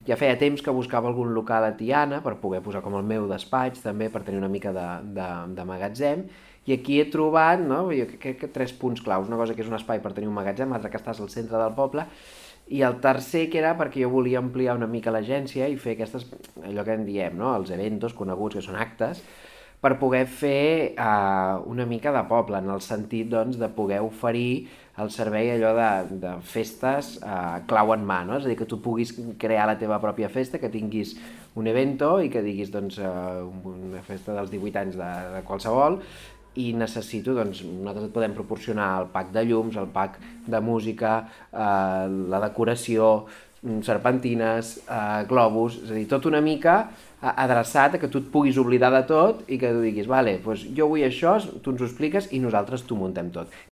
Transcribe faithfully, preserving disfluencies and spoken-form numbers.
Ja feia temps que buscava algun local a Tiana per poder posar com el meu despatx també, per tenir una mica de, de, de magatzem, i aquí he trobat, no, jo crec que tres punts claus, una cosa que és un espai per tenir un magatzem, l'altra que estàs al centre del poble, i el tercer que era perquè jo volia ampliar una mica l'agència i fer aquestes, allò que en diem, no? Els eventos coneguts, que són actes, per poder fer uh, una mica de poble, en el sentit doncs, de poder oferir el servei allò de, de festes uh, clau en mà, no? És a dir, que tu puguis crear la teva pròpia festa, que tinguis un evento i que diguis doncs, uh, una festa dels divuit anys de, de qualsevol, i necessito, doncs, nosaltres et podem proporcionar el pack de llums, el pack de música, eh, la decoració, serpentines, eh, globus, és a dir, tot una mica adreçat a que tu et puguis oblidar de tot i que tu diguis, vale, doncs jo vull això, tu ens ho expliques i nosaltres t'ho muntem tot.